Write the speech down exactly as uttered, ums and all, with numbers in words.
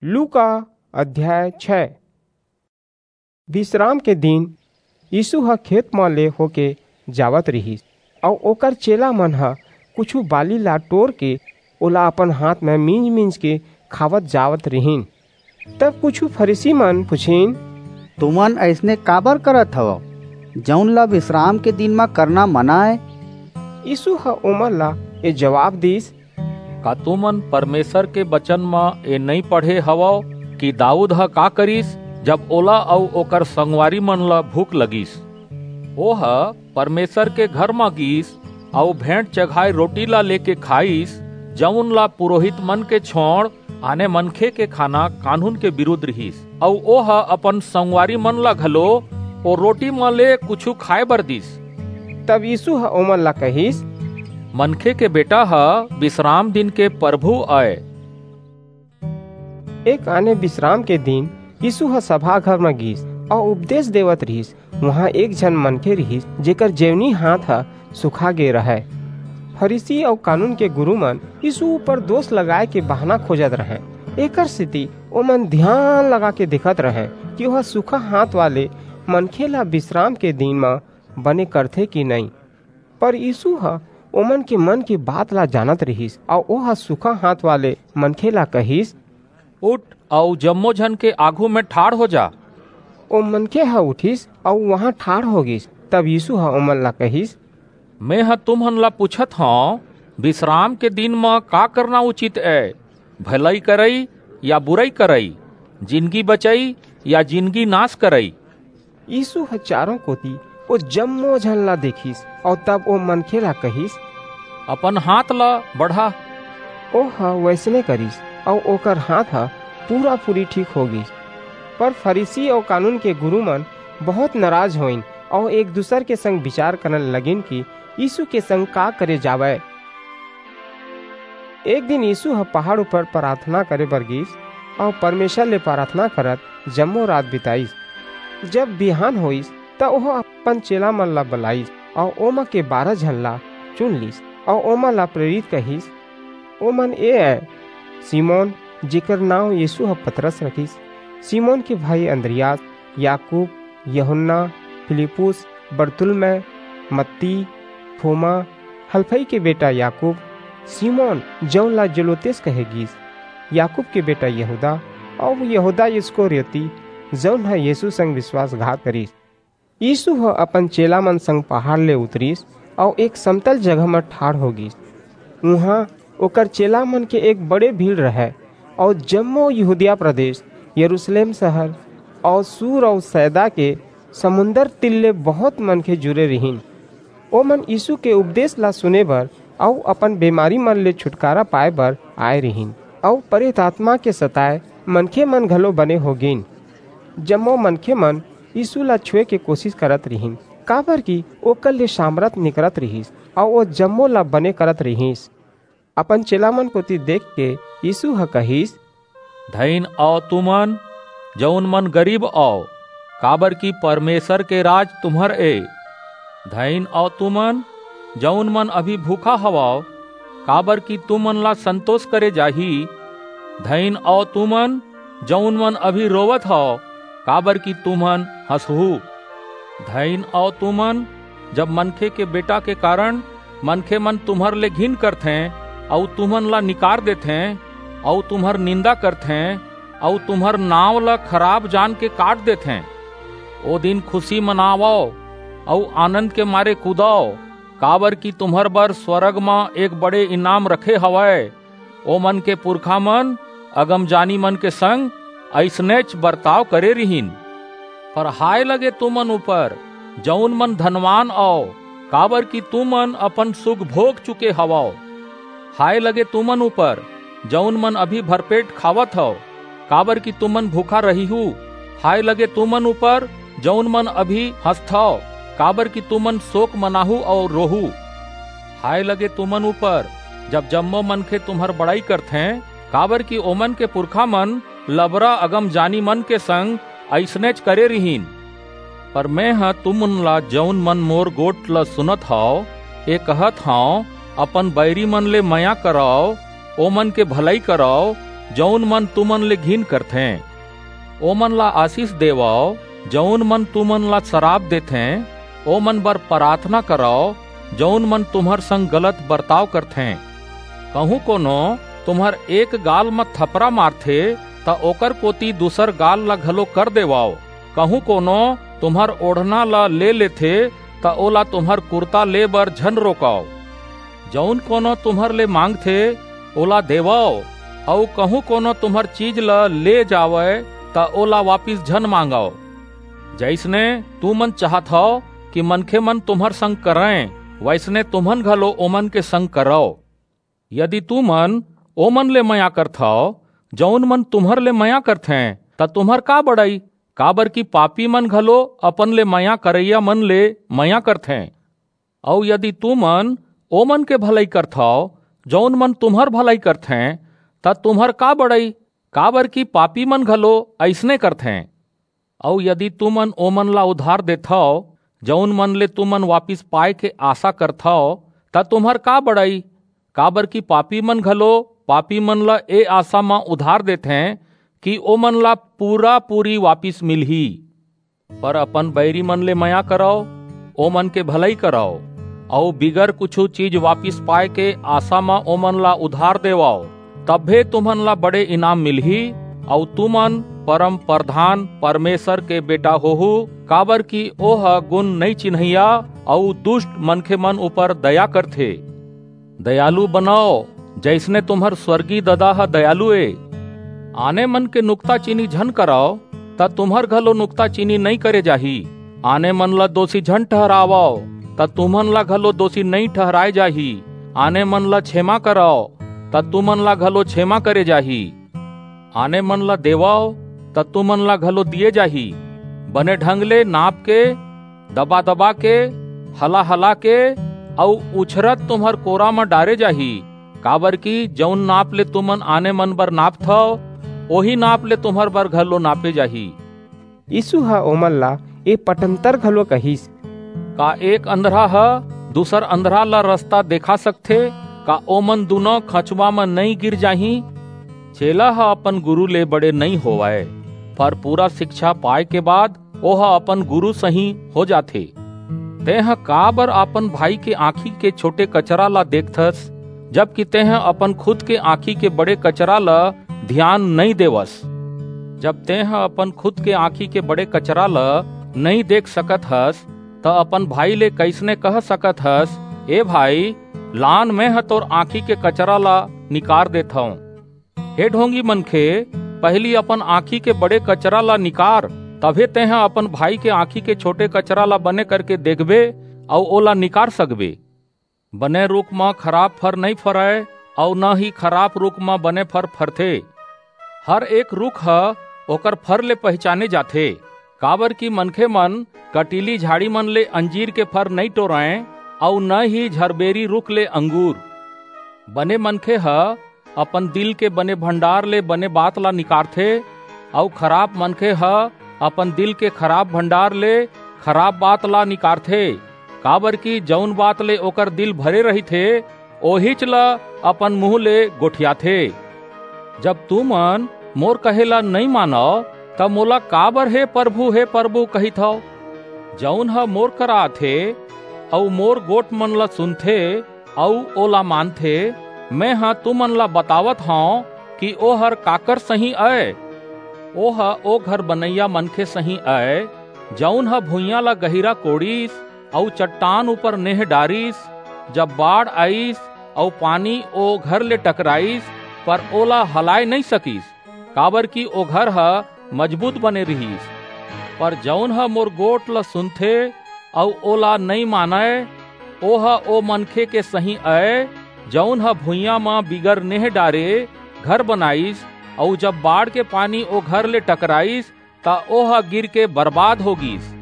लूका अध्याय छह। विश्राम के दिन यीशु ह खेत म ले होके जावत रिहिस, अऊ ओकर चेला मन ह कुछू बाली ला टोर के ओला अपन हाथ म मींज-मींज के खावत जावत रिहिन। तब कुछू फरीसी मन पुछिन, "तुमन अइसने काबर करत हवव, जऊन ला विश्राम के दिन म करना मना ए?" यीशु ह ओमन ला ए जवाब दीस, "का तुमन परमेसर के बचन म ए नइं पढ़े हवव कि दाऊद ह का करिस, जब ओला अऊ ओकर संगवारी मन ला भूख लगिस? ओह परमेसर के घर म गीस अऊ भेंट चघाय रोटी ला लेके खाइस, जऊन ला पुरोहित मन के छोंड़ आने मनखे के खाना कानून के बिरुद्ध रिहिस, अऊ ओह अपन संगवारी मन ला घलो ओ रोटी म ले कुछू खाय बर दीस।" तब यीशु ह ओमन ला कहिस, "मनखे के बेटा ह विश्राम दिन के परभू अय।" एक आने विश्राम के दिन यीशु ह सभा घर म गीस अऊ उपदेस देवत रिहिस। उहां एक झन मनखे रिहिस, जेकर जेवनी हाथ ह सुखा गे रहय। फरीसी अऊ कानून के गुरू मन यीशु ऊपर दोस लगाय के बहाना खोजत रहंय। एकरसेति ओमन धियान लगाके देखत रहंय कि ओह सुखा हाथ वाले मनखे ला बिसराम के दिन म बने करथे कि नइं। पर यीसू ह ओमन के मन के बात ला जानत रिहिस, अऊ ओह सूखा हांथ वाले मनखे ला कहिस, "उठ, अऊ जम्मो झन के आघू म ठाढ़ हो जा।" ओ मनखे ह उठिस, अऊ उहां ठाढ़ हो गीस। तब यीसू ह ओमन ला कहिस, "मेंह तुमन ला पूछत हंव, बिसराम के दिन म का करना उचित ए, भलई करई या बुरई करई, जिनगी बचई या जिनगी नास करई?" यीसू ह चारों कोति ओ जम्मो झन ला देखिस, अऊ तब ओ मनखे ला कहिस, "अपन हांथ ला बढ़ा।" ओह वइसने करिस, अऊ ओकर हांथ ह पूरा-पूरी ठीक हो गीस। पर फरीसी अऊ कानून के गुरू मन बहुंत नराज होइन, अऊ एक-दूसर के संग बिचार करन लगिन कि यीसू के संग का करे जावय। एक दिन यीसू ह पहाड़ ऊपर पराथना करे बर गीस, अऊ परमेसर ले पराथना करत जम्मो रात बिताईस। जब बिहान होईस, त ओह अपन चेला मन ला बलाईस, अऊ ओमा के बारह झन ला चुन लीस, अऊ ओमन ला प्रेरित कहिस। ओमन ए अय, सिमोन, जेकर नांव यीसू ह पतरस रखिस, सिमोन के भाई अंद्रियास, याकूब, यूहन्ना, फिलिप्पुस, बरतुल्मै, मत्ती, थोमा, हलफई के बेटा याकूब, सिमोन, जऊन ला जेलोतेस कहे गीस, याकूब के बेटा यहूदा, अऊ यहूदा इस्करियोती, जऊन ह यीसू संग बिसवासघात करिस। यीसू ह अपन चेला मन संग पहाड़ ले उतरिस, अऊ एक समतल जगह म ठाढ़ हो गीस। उहां ओकर चेला मन के एक बड़े भीड़ रहय, अऊ जम्मो यहूदिया प्रदेस, यरूसलेम सहर, अऊ सूर अऊ सैदा के समुंदर तीर ले बहुंत मनखे जुरे रिहिन। ओमन यीसू के उपदेस ला सुने बर अऊ अपन बेमारी मन ले छुटकारा पाय बर आय रिहिन, अऊ परेत आतमा के सताय मनखे मन घलो बने हो गीन। जम्मो मनखे मन यीसू ला छुए के कोसिस करत रिहिन, काबरकि ओकर ले सामरथ निकरत रिहिस, अऊ ओ जम्मो ला बने करत रिहिस। अपन चेला मन कोति देखके यीसू ह कहिस, "धइन अव तुमन, जऊन मन गरीब अव, काबरकि परमेसर के राज तुम्हर ए। धइन अव तुमन, जऊन मन अभी भूखा हवव, काबरकि तुमन ला संतोस करे जाही। धइन अव तुमन, जऊन मन अभी रोवत हव, काबरकि तुमन हंसहू। धइन अव तुमन, जब मनखे के बेटा के कारन मनखे मन तुम्हर ले घिन करथें, अऊ तुमन ला निकार देथें, अऊ तुम्हर निंदा करथें, अऊ तुम्हर नांव ला खराब जान के काट देथें। ओ दिन खुसी मनावव, अऊ आनंद के मारे कूदव, काबरकि तुम्हर बर स्वरग म एक बड़े इनाम रखे हवय। ओमन के पुरखा मन अगमजानी मन के संग अइसनेच बरताव करे रिहिन। पर हाय लगे तुमन ऊपर, जऊन मन धनवान अव, काबरकि तुमन अपन सुख भोग चुके हवव। हाय लगे तुमन ऊपर, जऊन मन अभी भरपेट खावत हव, काबरकि तुमन भूखा रहिहू। हाय लगे तुमन ऊपर, जऊन मन अभी हंसथव, काबरकि तुमन सोक मनाहू अऊ रोहू। हाय लगे तुमन ऊपर, जब जम्मो मनखे तुम्हर बड़ई करथें, काबरकि ओमन के पुरखा मन लबरा अगमजानी मन के संग अइसनेच करे रिहिन। पर मेंह तुमन ला, जऊन मन मोर गोठ ला सुनत हव, ए कहत हंव, अपन बईरी मन ले मया करव, ओमन के भलई करव, जऊन मन तुमन ले घिन करथें। ओमन ला आसीस देवव, जऊन मन तुमन ला सराप देथें। ओमन बर पराथना करव, जऊन मन तुम्हर संग गलत बरताव करथें। कहूं कोनो तुम्हर एक गाल म थपरा मारथे, त ओकर कोति दूसर गाल ला घलो कर देवव। कहूं कोनो तुम्हर ओढ़ना ला ले लेथे, त ओला तुम्हर कुरता ले बर झन रोकव। जऊन कोनो तुम्हर ले मांगथे, ओला देवव, अऊ कहूं कोनो तुम्हर चीज ला ले जावय, त ओला वापिस झन मांगव। जइसने तुमन चाहत हव कि मनखे मन तुम्हर संग करंय, वइसने तुमन घलो ओमन के संग करव। यदि तुमन ओमन ले मया करथव, जऊन मन तुम्हर ले मया करथें, त तुम्हर का बड़ई? काबरकि पापी मन घलो अपन ले मया करइया मन ले मया करथें। अऊ यदि तुमन ओमन के भलई करथव, जऊन मन तुम्हर भलई करथें, त तुम्हर का बड़ई? काबरकि पापी मन घलो अइसने करथें। अऊ यदि तुमन ओमन ला उधार देथव, जऊन मन ले तुमन वापिस पाय के आसा करथव, त तुम्हर का बड़ई? काबरकि पापी मन घलो पापी मन ला ए आसा म उधार देथें कि ओमन ला पूरा-पूरी वापिस मिलही। पर अपन बैरी मन ले मया करव, ओमन के भलई करव, अऊ बिगर कुछू चीज वापिस पाय के आसा म ओमन ला उधार देवव। तभे तुमन ला बड़े इनाम मिलही, अऊ तुमन परम परधान परमेसर के बेटा होहू, काबरकि ओह गुन नइं चिन्हइया अऊ दुस्ट मनखे मन ऊपर दया करथे। दयालु बनव, जइसने तुम्हर स्वर्गीय ददा ह दयालु ए। आने मन के नुकताचीनी झन करव, त तुम्हर घलो नुकताचीनी नइं करे जाही। आने मन ला दोसी झन ठहरावव, त तुमन ला घलो दोसी नइं ठहराय जाही। आने मन ला छेमा करव, त तुमन ला घलो छेमा करे जाही। आने मन ला देवव, त तुमन ला घलो दिये जाही। बने ढंग ले नाप के, दबा-दबा के, हला-हला के अऊ उछरत तुम्हर कोरा म डारे जाही, काबरकि जऊन नाप ले तुमन आने मन बर नापथव, ओही नाप ले तुम्हर बर घलो नापे जाही। यीसू ह ओमन ला ए पटंतर घलो कहिस। का एक अंधरा ह दूसर अंधरा ला रसता देखा सकथे? का ओमन दूनों खंचवा म नइं गिर जाहीं? चेला ह अपन गुरू ले बड़े नइं होवय, पर पूरा सिकछा पाय के बाद ओह अपन गुरू सहीं हो जाथे। तेंह काबर अपन भाई के आंखी के छोटे कचरा ला देखथस, जबकि तेंह अपन खुद के आंखी के बड़े कचरा ला धियान नइं देवस? जब तेंह अपन खुद के आंखी के बड़े कचरा ला नइं देख सकत हस, त अपन भाई ले कइसने कह सकत हस, "ए भाई, लान, मेंह तोर आंखी के कचरा ला निकार देथंव"? हे ढोंगी मनखे, पहिली अपन आंखी के बड़े कचरा ला निकार, तभे तेंह अपन भाई के आंखी के छोटे कचरा ला बने करके देखबे अऊ ओला निकार सकबे। बने रूख म खराप फर नइं फरय, अऊ न ही खराप रूख म बने फर फरथे। हर एक रूख ह ओकर फर ले पहिचाने जाथे, काबरकि मनखे मन कटीली झाड़ी मन ले अंजीर के फर नइं टोरंय, अऊ न ही झरबेरी रूख ले अंगूर। बने मनखे ह अपन दिल के बने भंडार ले बने बात ला निकारथे, अऊ खराप मनखे ह अपन दिल के खराप भंडार ले खराप बात ला निकारथे, काबरकि जऊन बात ले ओकर दिल भरे रहिथे, ओहीच ला अपन मुहूं ले गोठियाथे। जब तुमन मोर कहे ला नइं मानव, त मोला काबर "हे परभू, हे परभू" कहिथव? जऊन ह मोर करा आथे अऊ मोर गोठ मन ला सुनथे अऊ ओला मानथे, मेंह तुमन ला बतावत हंव कि ओहर काकर सहीं अय। ओह ओ घर बनइया मनखे सहीं अय, जऊन ह भुइयां ला गहिरा कोड़िस अऊ चट्टान ऊपर नेह डारिस। जब बाढ़ आईस अऊ पानी ओ घर ले टकराईस, पर ओला हलाय नइं सकिस, काबरकि ओ घर ह मजबूत बने रिहिस। पर जऊन ह मोर गोठ ला सुनथे अऊ ओला नइं मानय, ओह ओ मनखे के सहीं अय, जऊन ह भुइयां म बिगर नेह डारे घर बनाईस, अऊ जब बाढ़ के पानी ओ घर ले टकराईस, त ओह गिरके बरबाद हो गीस।